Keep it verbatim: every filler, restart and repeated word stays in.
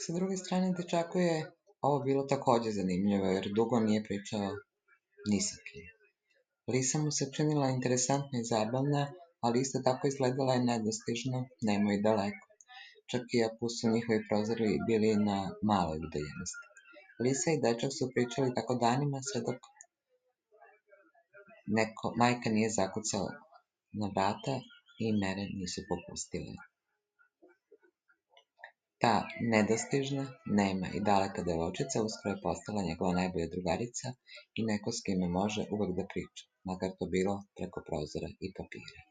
Sa druge strane, dečaku je ovo bilo takođe zanimljivo, jer dugo nije pričao ni sa kim. Lisa mu se činila interesantna i zabavna, ali isto tako izgledala je nedostižno, nemo i daleko. Čak i ako su njihovi prozori bili na maloj udaljenosti. Lisa i dečak su pričali tako danima, sve dok neko, majka nije zakucala na vrata i mere nisu popustile. Ta nedostižna, nema i daleka devojčica uskoro je postala njegova najbolja drugarica i neko s kime može uvek da priča, makar to bilo preko prozora i papira.